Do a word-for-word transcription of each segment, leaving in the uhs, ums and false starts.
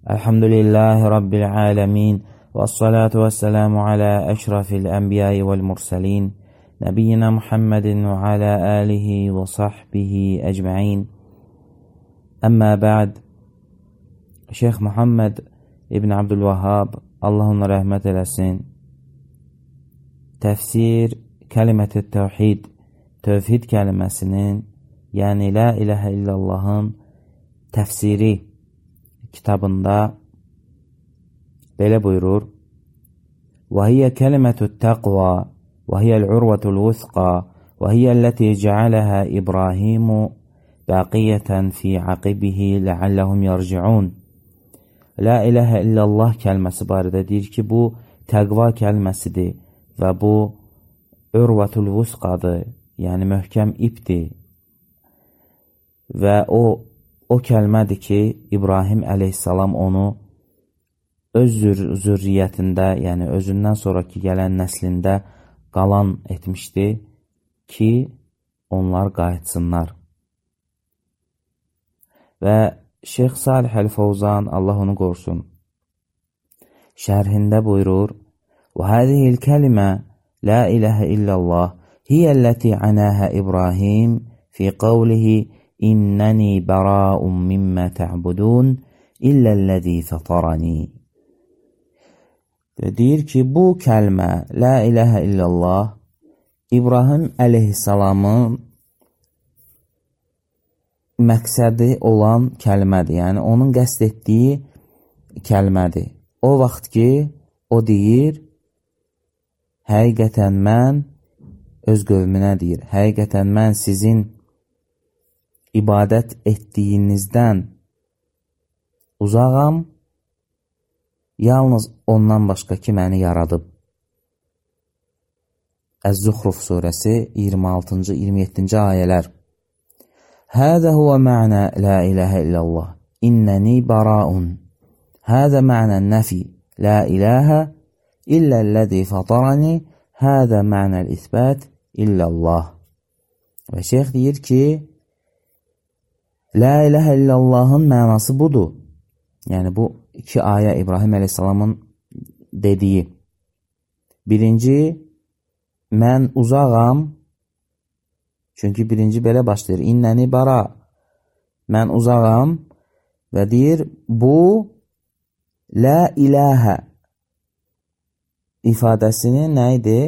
Elhamdülillahi Rabbil alemin. Vessalatu vesselamu ala eşrafil enbiyai vel mursalin. Nebiyyina Muhammedin ve ala alihi ve sahbihi ecma'in. Amma ba'd. Şeyh Muhammed İbn Abdülvahhab, Allah ona rəhmət eləsin, təfsir kəlimət-i təvhid, tövhid kəliməsinin, yəni la ilahə illallahın təfsiri kitabında belə buyurur: "Və hiyə kəlimətut təqva, və hiyəl urvatul vusqa, və hiyəl-ləti cəaləha İbrahimu baqiyyətən fi aqibihi ləalləhum yarciun." La ilahə illallah kəlməsi barədə deyir ki, bu təqva kəlməsidir və bu urvatul vusqadır, yəni möhkəm ipdir. Və o O kəlmədir ki, İbrahim əleyhissalam onu öz zürriyyətində, yəni özündən sonraki gələn nəslində qalan etmişdi ki, onlar qayıtsınlar. Və Şeyx Salih Əl-Fawzan, Allah onu qorusun, şərhində buyurur: "Və hədihil kəlimə la ilahə illallah hiyəlləti anəhə İbrahim fi qavlihi İnnəni bəra'un mimmə tə'budun illəl-ləzi fətarani." Deyir ki, bu kəlmə, la ilahə illallah, İbrahim əleyhissalamın məqsədi olan kəlmədir. Yəni, onun qəsd etdiyi kəlmədir. O vaxt ki, o deyir, həqiqətən mən, öz qövmünə deyir, həqiqətən mən sizin ibadət etdiyinizdən uzağam, yalnız ondan başqa ki, məni yaradıb. Əz-Zuhruf surəsi iyirmi altıncı iyirmi yeddinci ayələr. Həzə huvə mə'nə la ilahə illallah, innəni bəra'un. Həzə mə'nən nəfi, la ilahə illəl-ləzi fatarani, həzə mə'nəl isbət illallah. Və şeyx deyir ki, la ilahə illallahın mənası budur. Yəni, bu iki ayə İbrahim əleyhissalamın dediyi. Birinci, mən uzağam, çünki birinci belə başlayır, innəni bara, mən uzağam və deyir, bu la ilahə ifadəsinin nə idi?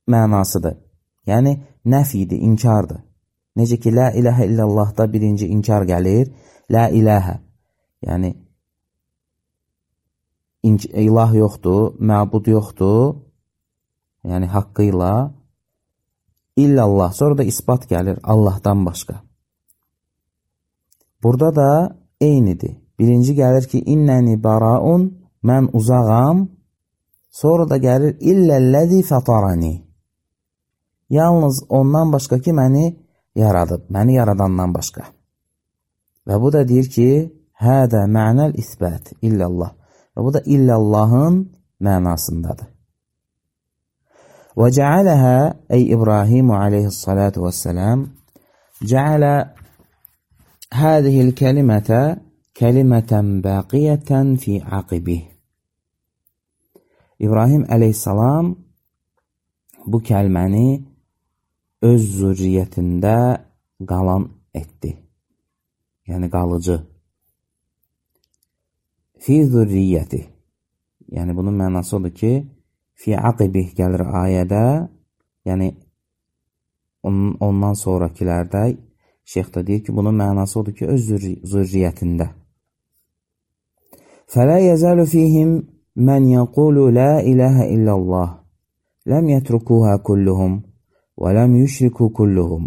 Mənasıdır. Yəni, nəfidir, inkardır. Necə ki, la ilahə illallahda birinci inkar gəlir, la ilahə, yəni ilah yoxdur, məbud yoxdur, yəni haqqıyla, illallah, sonra da isbat gəlir, Allahdan başqa. Burada da eynidir. Birinci gəlir ki, innəni bəra'un, mən uzağam, sonra da gəlir, illəl-ləzi fətarani, yalnız ondan başqa ki, məni yaradıb, məni yaradandan başqa. Və bu da deyir ki, hədə mənəl isbət, illallah. Və bu da illallahın mənasındadır. Və cəaləhə, ey İbrahimu aleyhissalatu vəssələm, cəalə hədihil kəlimətə kəlimətən bəqiyyətən fi aqibih. İbrahim əleyhissalam bu kəlməni öz zürriyyətində qalan etdi. Yəni, qalıcı. Fi zürriyyəti. Yəni, bunun mənası odur ki, fi aqibih gəlir ayədə, yəni, onun, ondan sonrakilərdə şeyx da deyir ki, bunun mənası odur ki, öz zürriyyətində. Fələ yəzəlu fihim mən yəqulu la ilahə illallah, ləm yətrukuhə kulluhum, وَلَمْ يُشْرِكُوا كُلُّهُمْ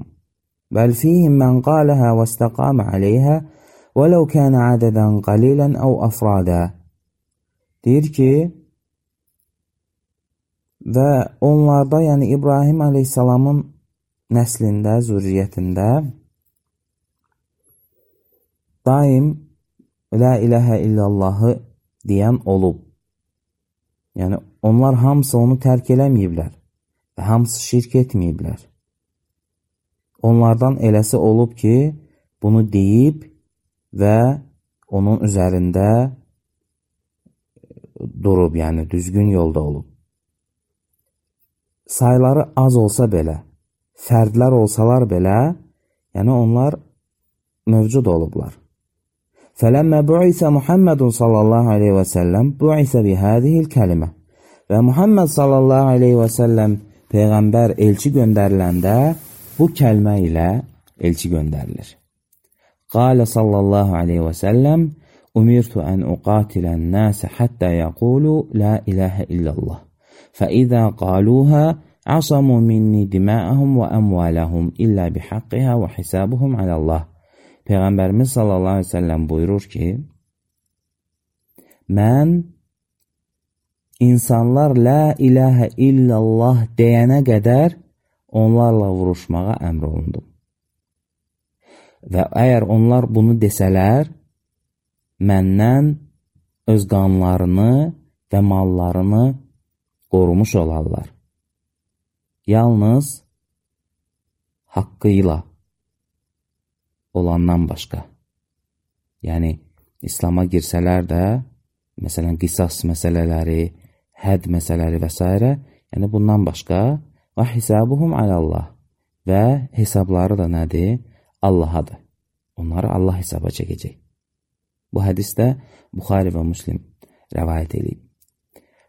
بَلْ فِيهِمْ مَنْ قَالَهَا وَاسْتَقَامَ عَلَيْهَا وَلَوْ كَانَ عَدَدًا قَلِيلًا أَوْ أَفْرَادًا. Deyir ki, və onlarda, yəni İbrahim əleyhissalamın nəslində, zürriyyətində daim la ilahə illallahı deyən olub. Yəni, onlar hamısı onu tərk eləməyiblər. Və hamısı şirk etməyiblər. Onlardan eləsi olub ki, bunu deyib və onun üzərində durub, yəni düzgün yolda olub. Sayları az olsa belə, fərdlər olsalar belə, yəni onlar mövcud olublar. فَلَمَّا بُعِثَ مُحَمَّدٌ sallallahu aleyhi və səlləm بُعِثَ بِهَذِهِ الْكَلِمَةِ Və Muhammed sallallahu aleyhi və səlləm Peyğəmbər elçi göndəriləndə bu kəlmə ilə elçi göndərilir. Qalə sallallahu aleyhi və səlləm Umirtu ən uqatilən nəsə həttə yəqulu la iləhə illallah. فَإِذَا قَالُوهَا عَصَمُوا مِنِّي دِمَاءَهُمْ وَأَمْوَالَهُمْ إِلَّا بِحَقِّهَا وَحِسَابُهُمْ عَلَى اللّٰهِ Peyğəmbərimiz sallallahu aleyhi ve sellem buyurur ki, mən insanlar la ilahə illallah deyənə qədər onlarla vuruşmağa əmr olundum. Və əgər onlar bunu desələr, məndən öz qanlarını və mallarını qorumuş olarlar. Yalnız haqqıyla olandan başqa. Yəni, İslama girsələr də, məsələn, qisas məsələləri, həd məsələləri və s. Yəni, bundan başqa və hisabuhum alallah və hesabları da nədir? Allahadır. Onları Allah hesaba çəkəcək. Bu hədisdə Buxari və Müslim rəvayət edib.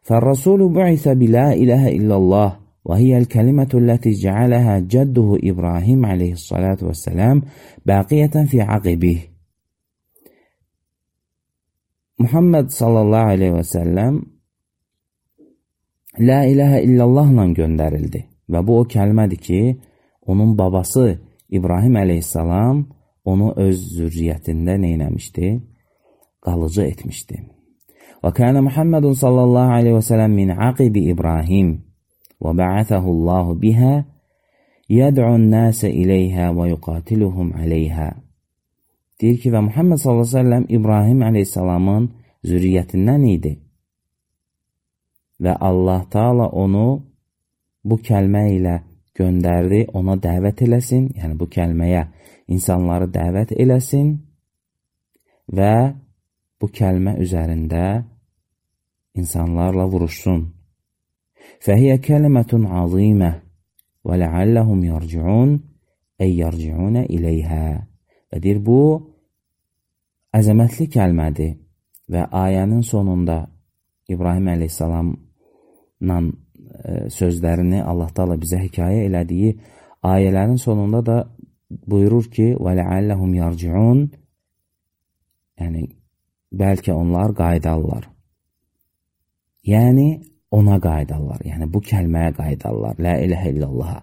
فَالرَّسُولُ بُعِثَ بِلَا إِلَهَ إِلَّا اللّٰهِ وَهِيَ الْكَلِمَةُ الَّتِي جَعَلَهَا جَدُّهُ إِبْرَاهِيمَ عَلَيْهِ الصَّلَاةُ وَالسَّلَامُ بَاقِيَةً فِي عَقِبِهِ Muhammed sallallahu aleyhi və səlləm La ilahə illallahla göndərildi və bu o kəlmədir ki, onun babası İbrahim aleyhissalam onu öz zürriyyətində neynəmişdi? Qalıcı etmişdi. Və kənə Muhammedun sallallahu aleyhi və səlləm min aqibi İbrahim və bə'əthəhullahu bihə yəd'un nəsə iləyhə və yuqatiluhum aleyhə. Deyir ki, və Muhammed sallallahu aleyhi və səlləm İbrahim aleyhissalamın zürriyyətindən idi. Və Allah Taala onu bu kəlmə ilə göndərdi, ona dəvət eləsin, yəni bu kəlməyə insanları dəvət eləsin və bu kəlmə üzərində insanlarla vuruşsun. Fəhiyyə kəlimətun azimə və ləalləhum yarciun ey yarciunə iləyhə. Və deyir, bu əzəmətli kəlmədir və ayənin sonunda İbrahim əleyhissalamla sözlərini Allah Taala bizə hekayə elədiyi ayələrin sonunda da buyurur ki, və ləalləhum yarciun, yəni bəlkə onlar qayıdarlar. Yəni ona qayıdarlar, yəni bu kəlməyə qayıdarlar, la ilahə illallah.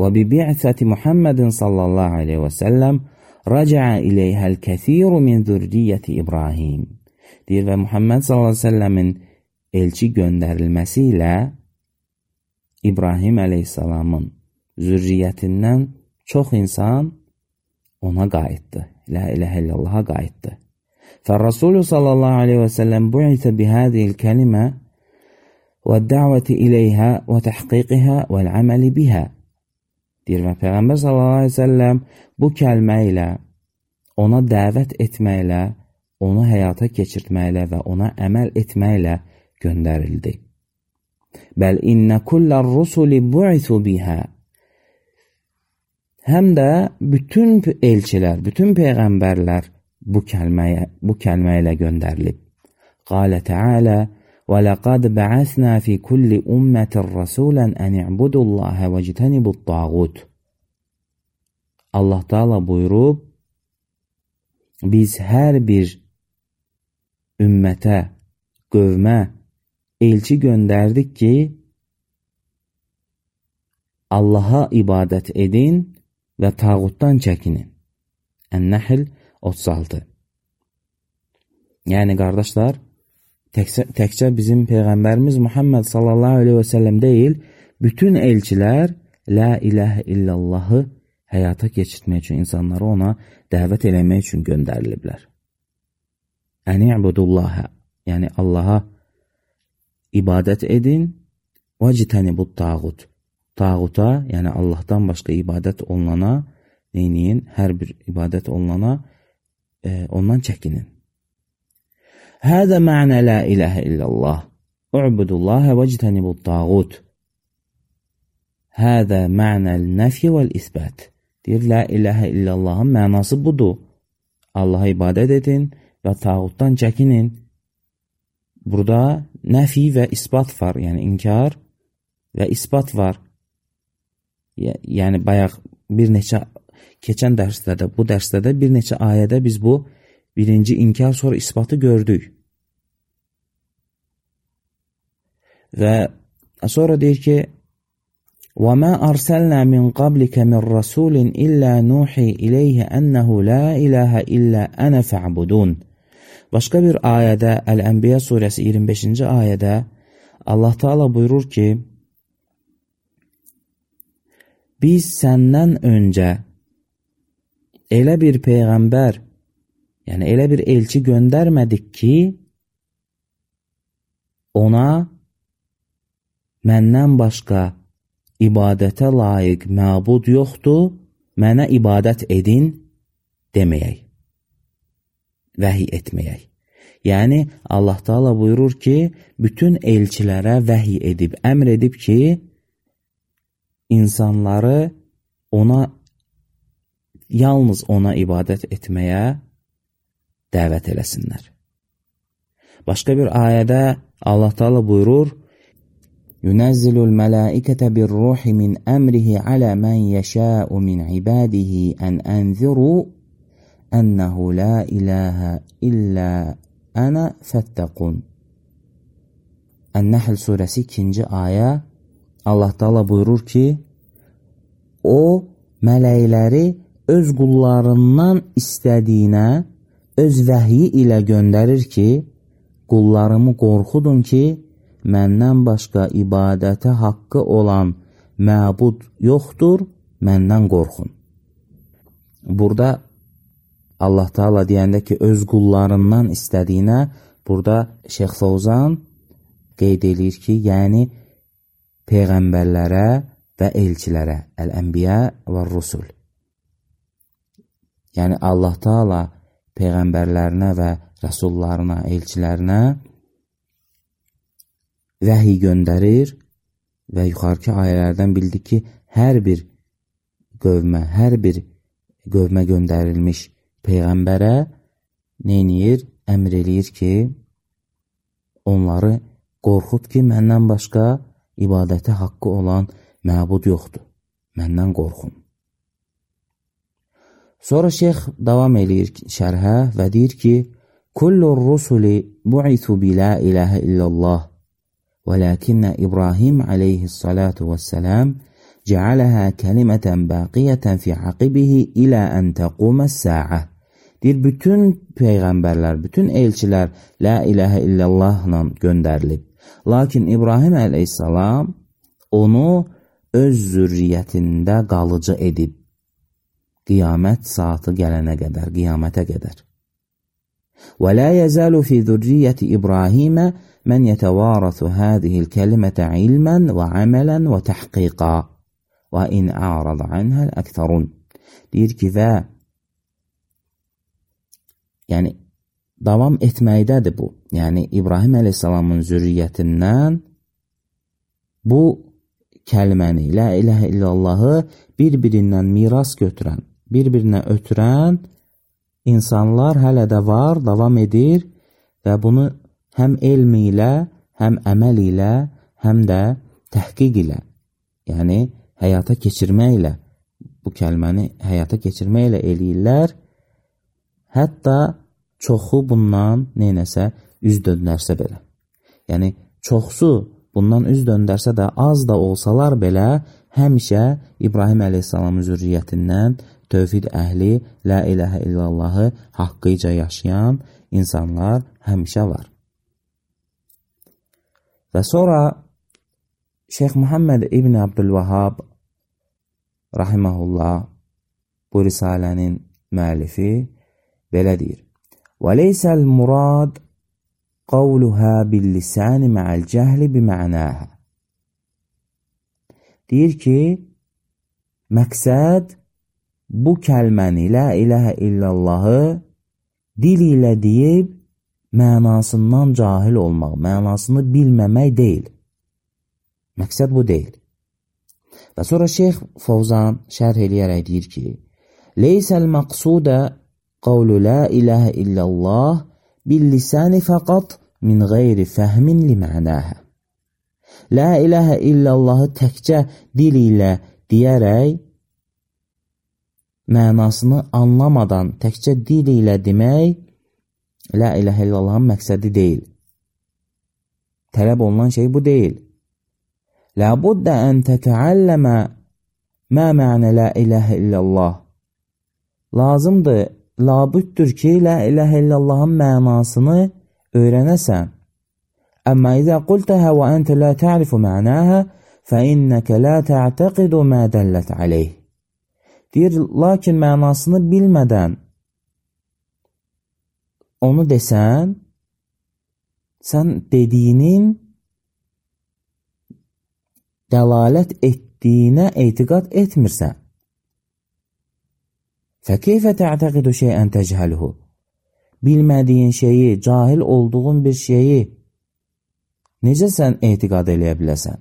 Və bi bi'səti Muhammedin sallallahu aleyhi və səlləm rəcəə iləyhəl kəsiru min zürriyyəti İbrahim. Deyir və Muhammed sallallahu aleyhi və səlləmin elçi göndərilməsi ilə İbrahim əleyhissalamın zürriyyətindən çox insan ona qayıtdı. La ilahə illallaha qayıtdı. Fər-Rasulü sallallahu aleyhi və səlləm bu'itə bihədiyil kəlimə və dəvəti iləyhə və təhqiqihə və əməli bihə. Deyir və Peyğəmbər sallallahu aleyhi və səlləm bu kəlmə ilə, ona dəvət etməklə, onu həyata keçirtməklə və ona əməl etməklə göndərildi. Bəl innə kullər rusuli bu'ithu bihə. Həm də bütün elçilər, bütün peyğəmbərlər bu kəlməyə, bu kəlmə ilə göndərilib. Qalə Teala və ləqad bə'əsnə fi kulli ümmətin rəsulən ən i'budullahə və citənibut-tağut. Allah Taala buyurub, biz hər bir ümmətə, qövmə elçi göndərdik ki, Allaha ibadət edin və tağutdan çəkinin. Ən-Nəhl otuz altı. Yəni, qardaşlar, təkcə, təkcə bizim Peyğəmbərimiz Muhammed sallallahu aleyhi və səlləm deyil, bütün elçilər la ilahə illallahı həyata keçirtmək üçün, insanları ona dəvət eləmək üçün göndəriliblər. Ən-i'budullahə, yəni Allaha ibadət edin və citənibut-tağut. Tağuta, yəni Allahdan başqa ibadət olunana, neyniyin, hər bir ibadət olunana e, ondan çəkinin. Hədə mə'nə la ilahə illallah. U'budullaha vectenibut tağut. Hədə mə'nəl nəfi vəl-isbət. Deyir, la ilahə illallahın mənası budur. Allaha ibadət edin və tağutdan çəkinin. Burada nəfi və isbat var, yəni inkar və isbat var. Yəni bayaq bir neçə keçən dərsdə də, bu dərsdə də bir neçə ayədə biz bu birinci inkar sonra isbatı gördük. Və sonra deyir ki, وَمَا أَرْسَلْنَا مِنْ قَبْلِكَ مِنْ رَسُولٍ إِلَّا نُوحِي إِلَيْهِ أَنَّهُ لَا إِلَهَ إِلَّا أَنَا فَاعْبُدُونَ. Başqa bir ayədə, Əl-Ənbiya surəsi iyirmi beşinci ayədə Allah Teala buyurur ki, biz səndən öncə elə bir peyğəmbər, yəni elə bir elçi göndərmədik ki, ona məndən başqa ibadətə layiq məbud yoxdur, mənə ibadət edin deməyək, vəhiy etməyək. Yəni, Allah Teala buyurur ki, bütün elçilərə vəhiy edib, əmr edib ki, insanları ona, yalnız ona ibadət etməyə dəvət eləsinlər. Başqa bir ayədə Allah Teala buyurur, يُنَزِّلُ الْمَلَائِكَةَ بِالرُّوحِ مِنْ أَمْرِهِ عَلَى مَنْ يَشَاءُ مِنْ عِبَادِهِ أَنْ أَنْذِرُوا أَنَّهُ لَا إِلَهَ إِلَّا أَنَا فَاتَّقُونَ. Ən-Nəhl surəsi ikinci ayə Allah Teala buyurur ki, o mələkləri öz qullarından istədiyinə öz vəhyi ilə göndərir ki, qullarımı qorxudun ki, məndən başqa ibadətə haqqı olan məbud yoxdur, məndən qorxun. Burada Allah Teala deyəndə ki, öz qullarından istədiyinə, burada Şeyx Fovzan qeyd edir ki, yəni peyğəmbərlərə və elçilərə, Əl-Ənbiya və Rusul. Yəni Allah Teala peyğəmbərlərinə və rəsullarına, elçilərinə vəhiy göndərir və yuxarıki ayələrdən bildik ki, hər bir qövmə, hər bir qövmə göndərilmiş peyğəmbərə neyniyir? Əmr eləyir ki, onları qorxud ki, məndən başqa ibadətə haqqı olan məbud yoxdur. Məndən qorxun. Sonra şeyx davam eləyir şərhə və deyir ki, Kullur rusuli bu'ithu bi la ilahe illallah ولكن إبراهيم عليه الصلاة والسلام جعلها كلمة باقية في عقبه إلى أن تقوم الساعة. Deyir, bütün peyğəmbərlər, bütün elçilər la ilahə illallahla göndərilib. Lakin İbrahim əleyhissalam onu öz zürriyyətində qalıcı edib. Qiyamət saatı gələnə qədər, qiyamətə qədər. Və la yezalu fi zürriyyəti İbrahimə mən yetəvarəsu hədihil kəlimətə ilmən və əmələn və təhqiqa və in a'rada anhəl əktərun. Deyir ki, və yəni davam etməkdədir bu. Yəni İbrahim əleyhissalamın zürriyyətindən bu kəlməni, la ilahə illallahı bir-birindən miras götürən, bir-birinə ötürən insanlar hələ də var, davam edir və bunu həm elm ilə, həm əməl ilə, həm də təhqiq ilə, yəni həyata keçirməklə, bu kəlməni həyata keçirməklə eləyirlər. Hətta çoxu bundan neynəsə üz döndərsə belə. Yəni çoxsu bundan üz döndərsə də, az da olsalar belə, həmişə İbrahim əleyhissalamın zürriyyətindən tövhid əhli, la ilahə illallahı haqqıca yaşayan insanlar həmişə var. Və sonra Şeyx Muhammed İbn Abdülvahhab rahiməhullah bu risalənin müəllifi belə deyir. وَلَيْسَ الْمُرَادِ قَوْلُهَا بِاللِّسَانِ مَعَ الْجَهْلِ بِمَعْنَاهَا. Deyir ki, məqsəd bu kəlməni, la ilahə illallahı dil ilə deyib, mənasından cahil olmaq, mənasını bilməmək deyil. Məqsəd bu deyil. Və sonra Şeyx Fovzan şərh eləyərək deyir ki, Leysəl məqsudə qavlu la ilahə illallah bil-lisani fəqat min qeyri fəhmin li mənəhə. La ilahə illallahı təkcə dil ilə deyərək, mənasını anlamadan təkcə dil ilə demək, la ilahə illallahın məqsədi deyil. Tələb olunan şey bu deyil. La buddə ən tətəalləmə mə mənə la ilahə illallah. Lazımdır, labüddür ki, la ilahə illallahın mənasını öyrənəsən. Əmmə izə qultəhə və əntə la ta'rifu mənəhə fə innəkə la tə'təqidu mə dəllət aleyh. Deyir, lakin mənasını bilmədən onu desən, sən dediyinin dəlalət etdiyinə etiqad etmirsən. Fəkeyfə tə'təqidu şeyən təcəhəluhu. Bilmədiyin şeyi, cahil olduğun bir şeyi necə sən etiqad eləyə biləsən?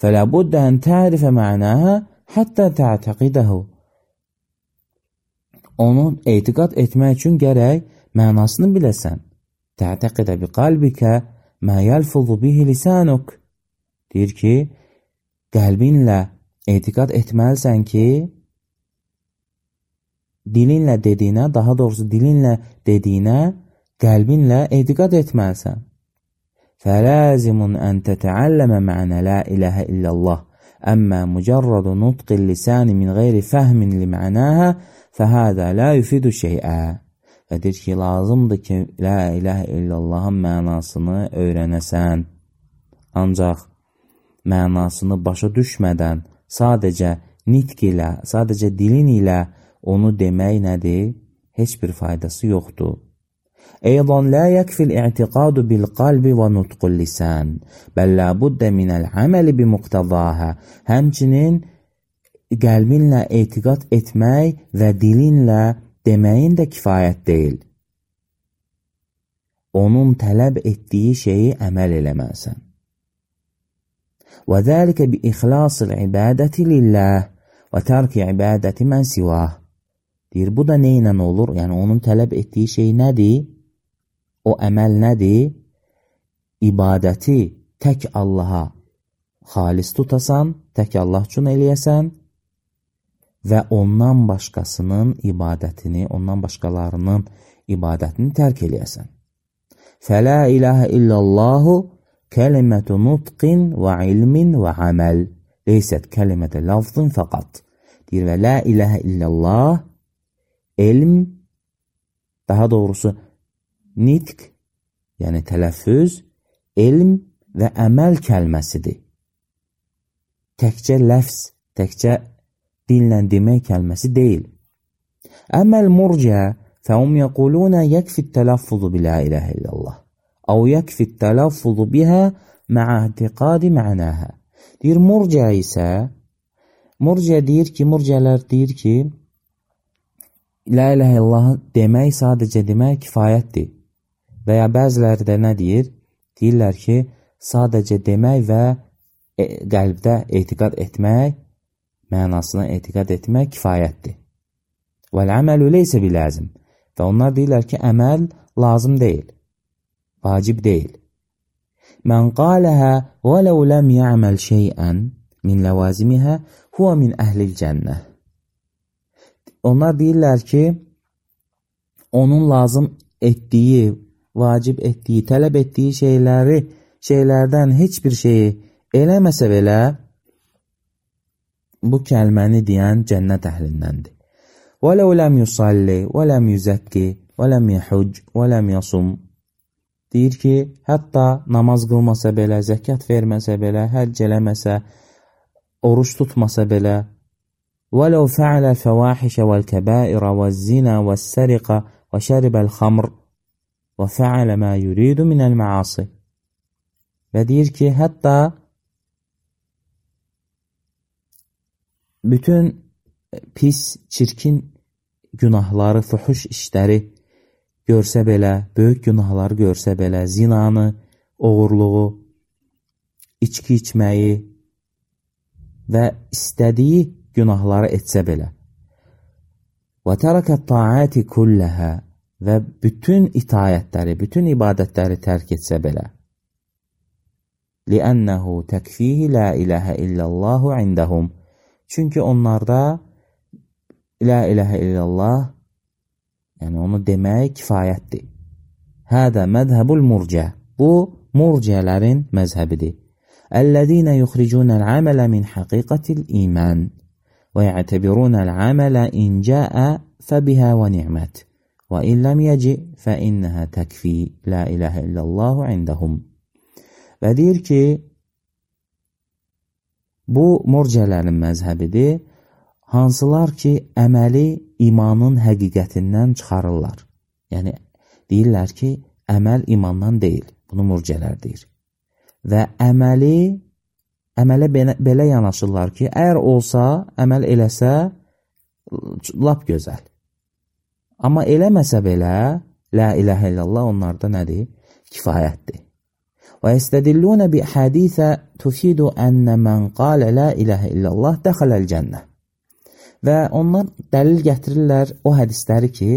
Fələ buddə ən tərifə mənəhə həttə tə'təqidəhu. Onu etiqad etmək üçün gərək mənasını biləsən. Tə'təqidə bi qalbikə mə yəlfuzu bihi lisanuk. Deyir ki, qəlbinlə etiqad etməlisən ki, dilinlə dediyinə, daha doğrusu dilinlə dediyinə, qəlbinlə etiqad etməlisən. Fələzimun ən tətəalləmə mənə la iləhə illallah. Əmmə mücərrədu nutqil lisani min qeyri fəhmin li mənəhə fəhədə la yufidu şeyə. Və deyir ki, lazımdır ki, la iləhə illallahın mənasını öyrənəsən. Ancaq mənasını başa düşmədən sadəcə nitq ilə, sadəcə dilin ilə onu demək nədir? Heç bir faydası yoxdur. Eydan la yəkfil i'tiqadu bil qalbi və nutqul lisan, bəl la buddə minəl əməli bi muqtadahə. Həmçinin qəlbinlə etiqad etmək və dilinlə deməyin də kifayət deyil. Onun tələb etdiyi şeyi əməl eləməlisən. Və zəlikə bi ixlasil ibadəti lillah və tərki ibadəti mən sivah. Deyir, bu da nə ilə olur? Yəni, onun tələb etdiyi şey nədir? O əməl nədir? İbadəti tək Allaha xalis tutasan, tək Allah üçün eləyəsən və ondan başqasının ibadətini, ondan başqalarının ibadətini tərk eləyəsən. Fələ iləhə illallahu kəlimətu nutqin və ilmin və əməl. Leysət kəlimətə lafzın fəqat. Deyir, və la iləhə illallah elm, daha doğrusu nitq, yəni tələffüz, elm və əməl kəlməsidir. Təkcə ləfz, təkcə dinlə demək kəlməsi deyil. Əməl murciə fəhum yəqulunə yəkfi tələffuzu bilə iləhə illallah əv yəkfi tələffuzu bihə mə'ə etiqadi mənəhə. Deyir, murciə isə, murciə deyir ki, murciələr deyir ki, la iləhə illallah demək, sadəcə demək kifayətdir. Və ya bəziləri də nə deyir? Deyirlər ki, sadəcə demək və e, qəlbdə etiqad etmək, mənasına etiqad etmək kifayətdir. Vəl-əməlu leysə biləzim. Və onlar deyirlər ki, əməl lazım deyil, vacib deyil. Mən qaləhə və ləv ləm yə'məl şeyən min ləvazimihə huvə min əhlil cənnə. Onlar deyirlər ki, onun lazım etdiyi, vacib etdiyi, tələb etdiyi şeyləri, şeylərdən heç bir şeyi eləməsə belə, bu kəlməni deyən cənnət əhlindəndir. وَلَوْ لَمْ يُصَلِّ وَلَمْ يُزَكِّ وَلَمْ يَحُجْ وَلَمْ يَصُمْ. Deyir ki, hətta namaz qılmasa belə, zəkat verməsə belə, həcc eləməsə, oruç tutmasa belə, وَلَوْ فَعَلَ الْفَوَاحِشَ وَالْكَبَائِرَ وَالزِّنَا وَالسَّرِقَ وَشَرِبَ الْخَمْرِ وَفَعَلَ مَا يُرِيدُ مِنَ الْمَعَاصِ. Və deyir ki, hətta bütün pis, çirkin günahları, fuhuş işləri görsə belə, böyük günahları görsə belə, zinanı, oğurluğu, içki içməyi və istədiyi günahları etsə belə və tərəkət taati kulləhə və bütün itayətləri, bütün ibadətləri tərk etsə belə li'ənəhu təkfihi la iləhə illəllahu indəhum çünki onlarda la iləhə illallah yəni onu demək kifayətdir. Hədə məzhəbul murcə bu murcələrin məzhəbidir. Əllədinə yuxricunəl əmələ min həqiqətil iman və yətəbirunəl əmələ incəə fəbihə və ni'mət və illəm yəci fə innəhə təkfi la iləhə illallahu indəhum və deyir ki bu murcələrin məzhəbidir hansılar ki əməli imanın həqiqətindən çıxarırlar. Yəni deyirlər ki əməl imandan deyil. Bunu murcələr deyir. Və əməli əmələ belə, belə yanaşırlar ki əgər olsa, əməl eləsə lap gözəl. Amma eləməsə belə la iləhə illallah onlarda nədir? Kifayətdir. Və istədillunə bi hədisə tufidu ənə mən qalə la iləhə illallah dəxələl cənnə. Və onlar dəlil gətirirlər o hədisləri ki,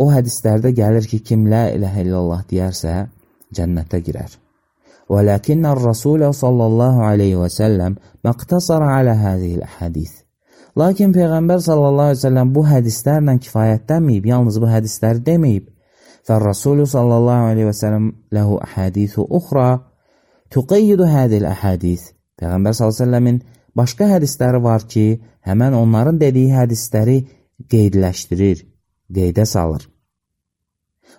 o hədislərdə gəlir ki, kim la iləhə illallah deyərsə, cənnətə girər. Və ləkinnər Rasulə sallallahu aleyhi və səlləm məqtasara alə hədiyil hədis. Lakin Peyğəmbər sallallahu aleyhi və səlləm bu hədislərlə kifayətlənməyib, yalnız bu hədisləri deməyib. Fər-Rasulü sallallahu aleyhi və səlləm ləhu əhədisu uxra tuqeyyidu hədil əhədis. Peyğəmbər sallallahu aleyhi və səlləmin başqa hədisləri var ki, həmən onların dediyi hədisləri qeydləşdirir, qeydə salır.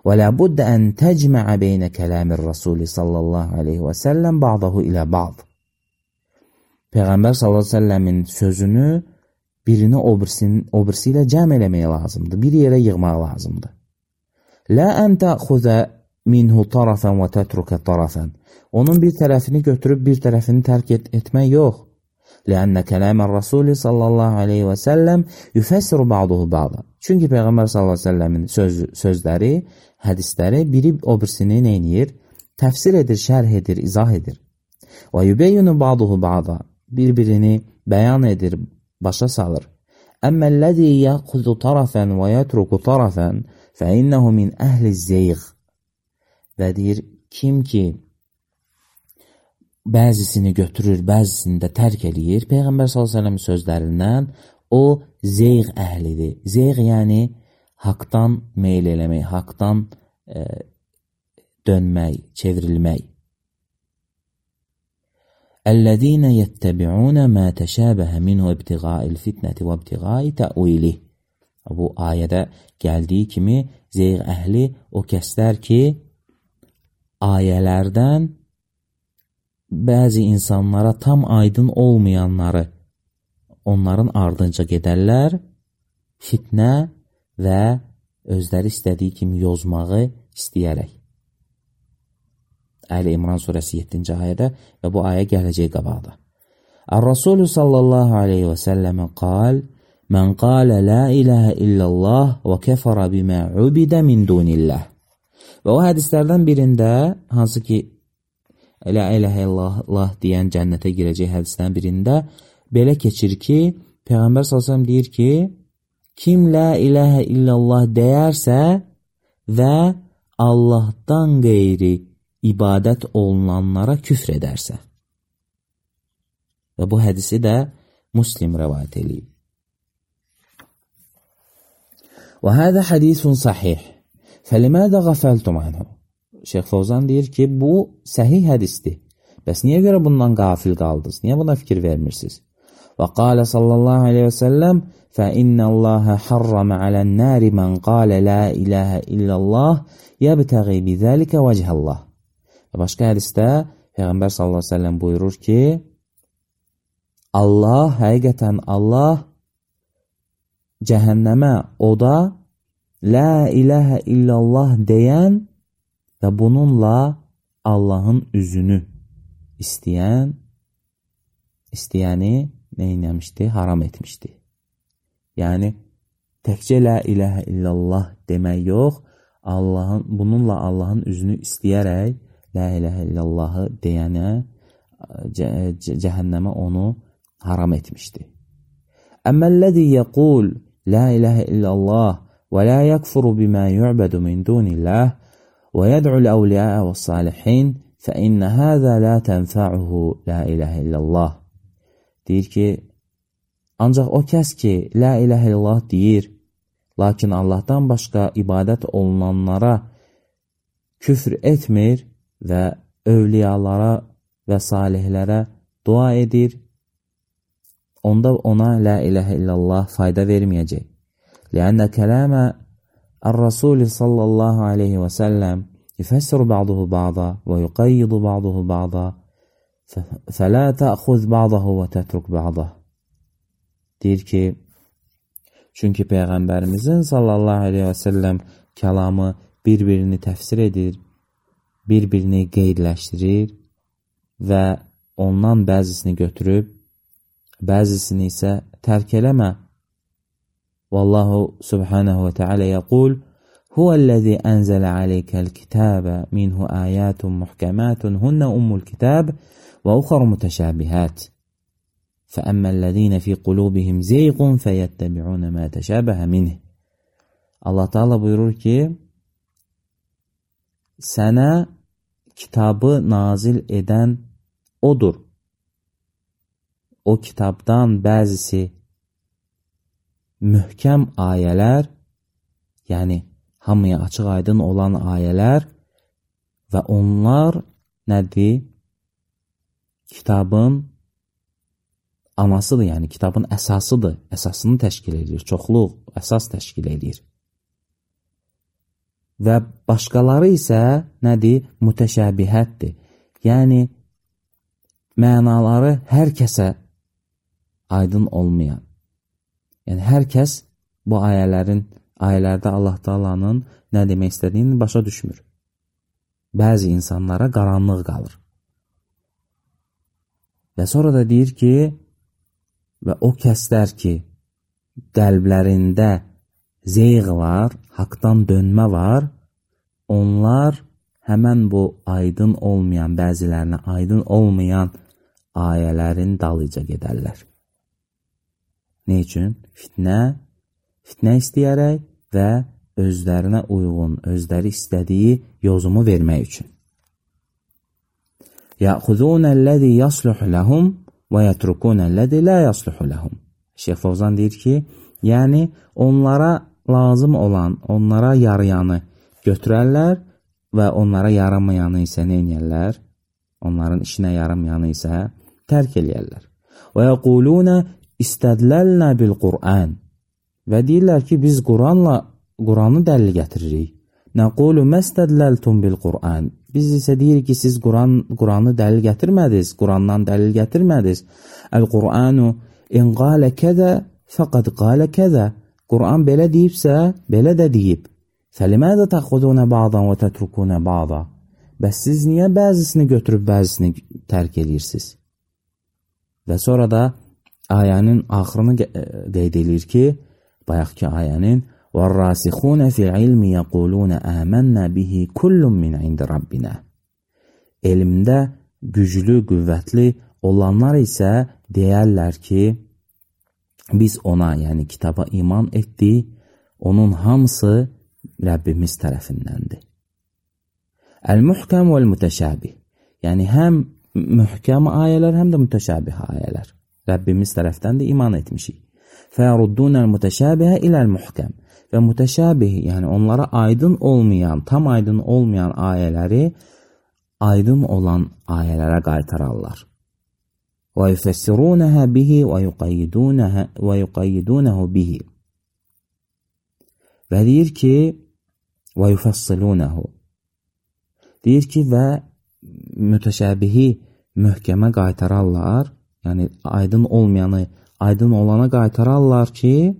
Və lə buddə ən təcməə beynə kələmir Rasulü sallallahu aleyhi və səlləm ba'dahu ilə ba'd. Peyğəmbər sallallahu aleyhi və səlləmin sözünü birini o birisi ilə cəm eləmək lazımdır, bir yerə yığmaq lazımdır. Lə ən təxuzə minhu tarafən və tətrukə tarafən. Onun bir tərəfini götürüb bir tərəfini tərk et etmək yox. Ləənnə kələmər Rasulü sallallahu aleyhi və səlləm yüfəssiru ba'duhu ba'da. Çünki Peyğəmbər sallallahu aleyhi və səlləmin söz, sözləri, hədisləri biri o birisini neynir? Təfsir edir, şərh edir, izah edir. Və yübeyyunu ba'duhu ba'da. Bir-birini bəyan edir, başa salır. Əmməlləzi yəxuzu tarafən və yətruku tarafən fə innəhu min əhli zeyğ. Və deyir, kim ki bəzisini götürür, bəzisini də tərk eləyir, Peyğəmbər sallallahu əleyhi və səlləm sözlərindən o zeyğ əhlidir. Zeyğ yəni haqdan meyl eləmək, haqdan e, dönmək, çevrilmək. Əllədinə yəttəbi'unə mə təşəbəhə minhu ibtiğail fitnəti və ibtiğai tə'vilih. Bu ayədə gəldiyi kimi zeyğ əhli o kəslər ki, ayələrdən bəzi insanlara tam aydın olmayanları onların ardınca gedərlər, fitnə və özləri istədiyi kimi yozmağı istəyərək. Əli İmran surəsi yeddinci ayədə və bu ayə gələcək qabaqda. Ar-Rasulü sallallahu aleyhi və səlləmə qal, mən qalə la iləhə illallah və kəfərə bimə ubidə min dunillah. Və o hədislərdən birində, hansı ki la iləhə illallah deyən cənnətə girəcək hədisdən birində belə keçir ki, Peyğəmbər sallallahu əleyhi və səlləm deyir ki, kim la iləhə illallah deyərsə və Allahdan qeyri ibadət olunanlara küfr edərsə. Və bu hədisi də Müslim rəvayət eləyib. Və hədə hədisun sahih. Fəlimədə qəfəltum anhu. Şeyx Fovzan deyir ki, bu səhih hədisdir. Bəs niyə görə bundan qafil qaldınız? Niyə buna fikir vermirsiniz? Və qalə sallallahu aleyhi və səlləm فَإِنَّ اللَّهَ حَرَّمَ عَلَى النَّارِ مَنْ قَالَ لَا إِلَهَ إِلَّا اللَّهِ يَبْتَغِي بِذَلِكَ وَجْهَ اللَّهِ. Başqa hədisdə Peyğəmbər sallallahu aleyhi və səlləm buyurur ki, Allah, həqiqətən Allah cəhənnəmə, oda la iləhə illallah deyən və bununla Allahın üzünü istəyən, istəyəni neynəmişdi? Haram etmişdi. Yəni, təkcə la iləhə illallah demək yox, Allahın bununla Allahın üzünü istəyərək la ilahe illallahı deyənə cəhənnəmə onu haram etmişdi. Əmməl-ləzi yəqul la ilahe illallah və la yəkfuru bimə yu'bədu min dunillah və yəd'ul əvliyə və salihin fə innə həzə la tənfəuhu la ilahe illallah. Deyir ki, ancaq o kəs ki, la ilahe illallah deyir, lakin Allahdan başqa ibadət olunanlara küfr etmir və övliyalara və salihlərə dua edir, onda ona la ilahe illallah fayda verməyəcək. Lənnə kələmə Ar-Rasul sallallahu aleyhi və səlləm yufəssiru ba'duhu ba'da və yuqayyidu ba'duhu ba'da fələ təxuz ba'dahu və tətruk ba'dah. Deyir ki, çünki Peyğəmbərimizin sallallahu aleyhi və səlləm kəlamı bir-birini təfsir edir, bir-birini qeydləşdirir və ondan bəzisini götürüb, bəzisini isə tərk eləmə. Vallahu subhanahu və teala yəqul, Huvəl-ləzi ənzələ aleykəl kitəbə minhu əyətun muhkəmətun hunnə ummul kitəb və uxar mütəşəbihət. Fəəmməl-ləzine fi qulubihim zeyqun fəyəttəbi'unə mə təşəbəhə minih. Allah Teala buyurur ki, sənə kitabı nazil edən odur. O kitabdan bəzisi mühkəm ayələr, yəni hamıya açıq aydın olan ayələr və onlar nədir? Kitabın anasıdır, yəni kitabın əsasıdır, əsasını təşkil edir, çoxluq əsas təşkil edir. Və başqaları isə nədir? Mütəşəbihətdir. Yəni, mənaları hər kəsə aydın olmayan. Yəni, hər kəs bu ayələrin, ayələrdə Allah Taala'nın nə demək istədiyini başa düşmür. Bəzi insanlara qaranlıq qalır. Və sonra da deyir ki, və o kəslər ki, qəlblərində zeyğ var, haqdan dönmə var, onlar həmən bu aydın olmayan, bəzilərinə aydın olmayan ayələrin dalıca gedərlər. Ne üçün? Fitnə, fitnə istəyərək və özlərinə uyğun, özləri istədiyi yozumu vermək üçün. Yəxuzunəl-ləzi yasluhu ləhum və yətrukunəl-ləzi la yasluhu ləhum. Şeyx Fovzan deyir ki, yəni onlara lazım olan, onlara yarayanı götürərlər və onlara yaramayanı isə nə edirlər? Onların işinə yaramayanı isə tərk eləyərlər. Və yəqulunə istədləlnə bil-Qur'an. Və deyirlər ki, biz Quranla, Quranı dəlil gətiririk. Nəqulu məstədləltum bil-Qur'an. Biz isə deyirik ki, siz Quran, Quranı dəlil gətirmədiniz, Qurandan dəlil gətirmədiniz. Əl-Qur'anu in qalə kəzə fəqəd qalə kəzə. Quran belə deyibsə, belə də deyib. Fəliməzə təxudunə ba'dan və tətrukunə ba'da. Bəs siz niyə bəzisini götürüb bəzisini tərk edirsiniz? Və sonra da ayənin axırını qeyd edir ki, bayaqki ayənin وَالرَّاسِخُونَ فِي الْعِلْمِ يَقُولُونَ آمَنَّا بِهِ كُلٌّ مِنْ عِنْدِ رَبِّنَا. Elmdə güclü, qüvvətli olanlar isə deyərlər ki, biz ona, yəni kitaba iman etdik, onun hamısı Rəbbimiz tərəfindəndir. Əl-muhkəm vəl-mütəşəbih. Yəni həm mühkəm ayələr, həm də mütəşəbih ayələr. Rəbbimiz tərəfdən də iman etmişik. فَيَرُدُّونَ الْمُتَشَابِهَ إِلَى الْمُحْكَمِ. Və mütəşəbih, yəni onlara aydın olmayan, tam aydın olmayan ayələri aydın olan ayələrə qaytararlar. وَيُفَسِّرُونَهَا بِهِ وَيُقَيِّدُونَهُ بِهِ. Və deyir ki, وَيُفَصِّلُونَهُ. Deyir ki, və mütəşəbihi möhkəmə qaytararlar, yəni aydın olmayanı aydın olana qaytararlar ki,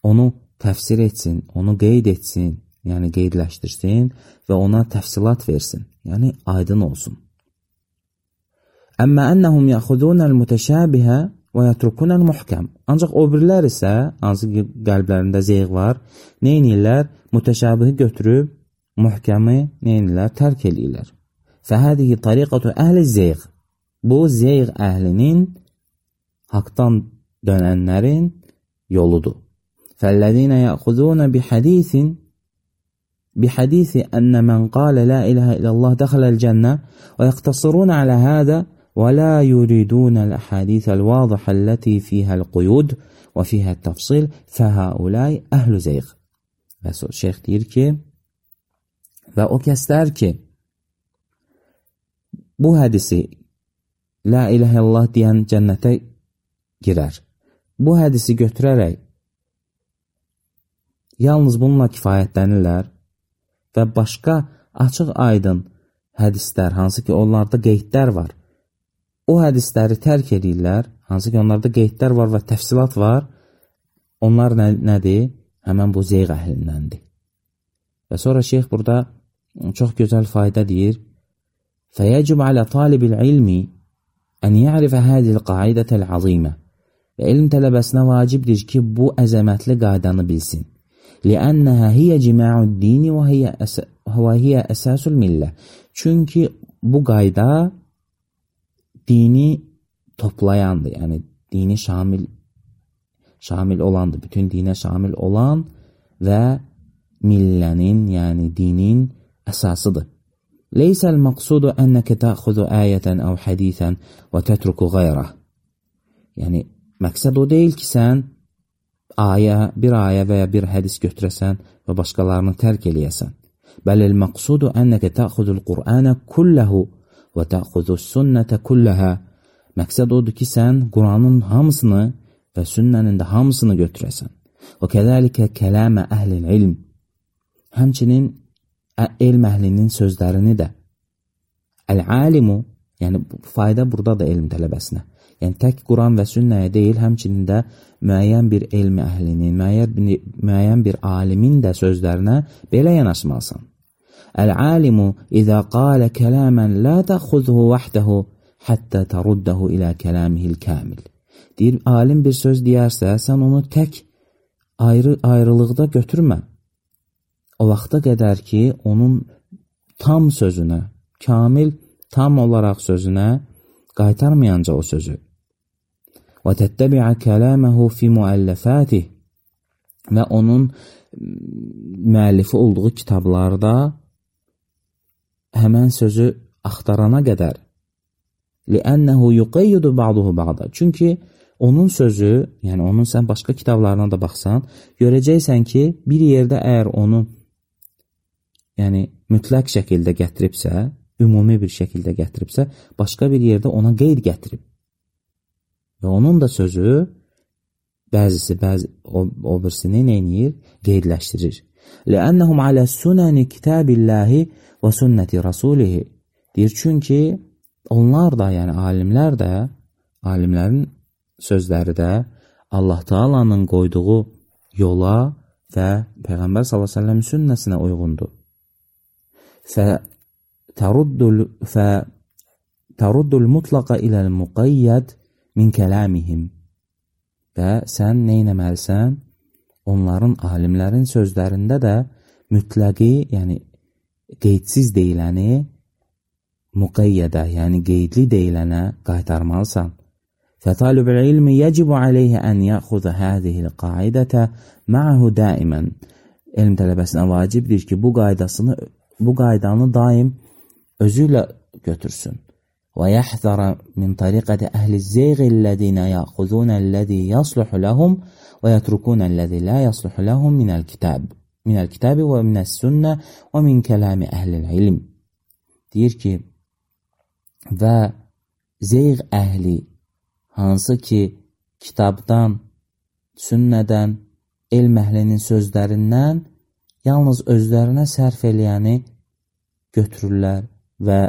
onu təfsir etsin, onu qeyd etsin, yəni qeydləşdirsin və ona təfsilat versin, yəni aydın olsun. Əmmə ənəhum yəxudunəl mütəşəbihə və yətrukunəl muhkəm. Ancaq o birilər isə, hansı ki qəlblərində zeyğ var, nə edirlər? Mütəşabihi götürüb, muhkəmi nə edirlər? Tərk edirlər. Fəhədihi tariqatu əhli zeyğ. Bu, zeyğ əhlinin, haqdan dönənlərin yoludur. Fəllədinə yəxudunə bihədithin بحديث أن من قال لا إله إلا الله دخل الجنة ويقتصرون على هذا ولا يريدون الأحاديث الواضحة التي فيها القيود وفيها التفصيل فهؤلاء أهل زيغ. Və şeyx deyir ki, və o kəslər ki, bu hədisi La ilahə illallah deyən cənnətə girər. Bu hədisi götürərək yalnız bununla kifayətlənirlər və başqa açıq aydın hədislər, hansı ki onlarda qeydlər var, o hədisləri tərk edirlər, hansı ki onlarda qeydlər var və təfsilat var, onlar nə, nədir? Həmən bu zeyğ əhlindəndir. Və sonra şeyx burada çox gözəl fayda deyir. فَيَجِبْ عَلَى طَالِبِ الْعِلْمِ أَنْ يَعْرِفَ هَذِهِ الْقَاعِدَةَ الْعَظِيمَةِ. Və elm tələbəsinə vacibdir ki, bu əzəmətli qaydanı bilsin. لأنها هي جماع الدين وهي أس... وهي أساس الملة. Çünki bu qayda dini toplayandır. Yəni dini şamil şamil olandır. Bütün dinə şamil olan və millənin, yəni dinin əsasıdır. Leysəl maqsudu enneke ta'xuzu ayatan aw hadisan və tetruku gayrah. Yəni məqsəd o deyil ki, sən ayə, bir ayə və ya bir hədis götürəsən və başqalarını tərk eləyəsən. Bəlil məqsudu enneke ta'xuzul Qur'ana kullahu və ta'xuzus sünnətə kullaha. Məqsəd odur ki, sən Qur'anın hamısını və sünnənin də hamısını götürəsən. Və kəzəlikə kələmə əhlil ilm. Həmçinin elm əhlinin sözlərini də. Əl-alimu, yəni fayda burada da elm tələbəsinə. Yəni tək Quran və sünnəyə deyil, həmçinin də müəyyən bir elm əhlinin, müəyyən bir, müəyyən bir alimin də sözlərinə belə yanaşmalısan. Əl-alimu izə qalə kələmən la təxuzhu vəhdəhu həttə təruddahu ilə kələmihil kamil. Deyir, alim bir söz deyərsə, sən onu tək ayrı ayrılıqda götürmə. O vaxta qədər ki, onun tam sözünə, kamil, tam olaraq sözünə qaytarmayanca o sözü. Və təttəbi'a kələməhu fi müəlləfətih. Və onun müəllifi olduğu kitablarda həmən sözü axtarana qədər. Li'ənəhu yuqayyidu ba'duhu ba'da. Çünki onun sözü, yəni onun sən başqa kitablarına da baxsan, görəcəksən ki, bir yerdə əgər onu yəni mütləq şəkildə gətiribsə, ümumi bir şəkildə gətiribsə, başqa bir yerdə ona qeyd gətirib. Və onun da sözü bəzisi, bəzi, o, o birisini neynir? Qeydləşdirir. Ləənnəhum alə sünəni kitabillahi və sünnəti rasulihi. Deyir, çünki onlar da, yəni alimlər də, alimlərin sözləri də Allah Taala'nın qoyduğu yola və Peyğəmbər sallallahu əleyhi və səlləm sünnəsinə uyğundur. Fə təruddul fə təruddul mutlaqa iləl muqayyad min kəlamihim. Və sən nə etməlisən? Onların, alimlərin sözlərində də mütləqi, yəni qeydsiz deyiləni muqayyədə, yəni qeydli deyilənə qaytarmalısan. فطالب العلم يجب عليه أن يأخذ هذه القاعدة معه دائما. Elm tələbəsinə vacibdir ki, bu qaydasını, bu qaydanı daim özüyle götürsün. ويحذر من طريقة أهل الزيغ الذين يأخذون الذي يصلح لهم ويتركون الذي لا يصلح لهم من الكتاب من الكتاب ومن السنة ومن كلام أهل العلم. Deyir ki, və zeyğ əhli hansı ki kitabdan, sünnədən, elm əhlinin sözlərindən yalnız özlərinə sərf eləyəni götürürlər və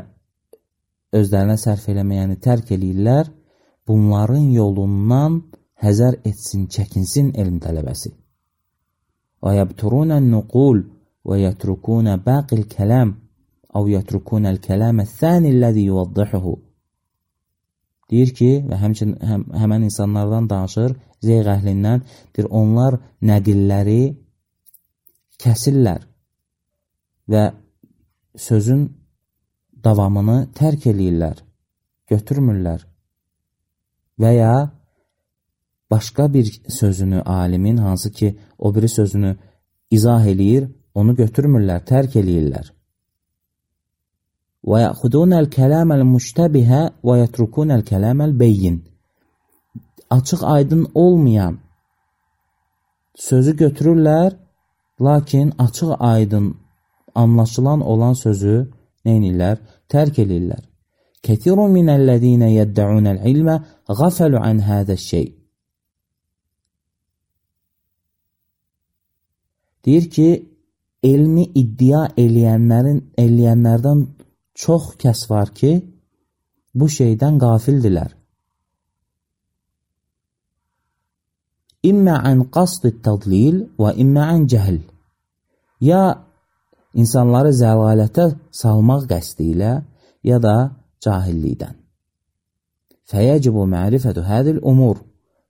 özlərinə sərf eləməyəni tərk eləyirlər, bunların yolundan həzər etsin, çəkinsin elm tələbəsi. Və yəbturunən nuqul və yətrukunə baqil kələm əv yətrukunəl kələmə thəni ləzi yuvaddihuhu. Deyir ki, və həmçin həm, həmən insanlardan danışır, zeyğ əhlindən, deyir, onlar nədilləri kəsirlər və sözün davamını tərk eləyirlər, götürmürlər və ya başqa bir sözünü alimin, hansı ki, o biri sözünü izah eləyir, onu götürmürlər, tərk eləyirlər. Və yəxudunəl kələməl müştəbihə və yətrukunəl kələməl beyyin. Açıq aydın olmayan sözü götürürlər, lakin açıq aydın anlaşılan olan sözü neynirlər? Tərk eləyirlər. Kətirun minəllədinə yəddəunəl ilmə qafəlu ən hədəş şey. Deyir ki, elmi iddia eləyənlərin, eləyənlərdən çox kəs var ki, bu şeydən qafildilər. İmmə ən qasd tədlil və immə ən cəhl. Ya insanları zəlalətə salmaq qəsdi ilə, ya da cahillikdən. Fəyəcibu mərifətü hədil umur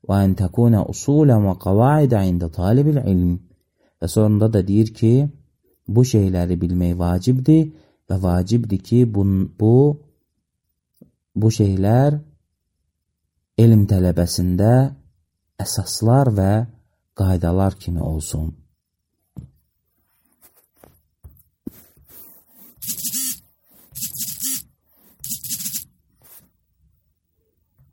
və ən təkunə usulən və qavaidə ində talibil ilm. Və sonunda da deyir ki, bu şeyləri bilmək vacibdir və vacibdir ki, bu, bu, bu şeylər elm tələbəsində əsaslar və qaydalar kimi olsun.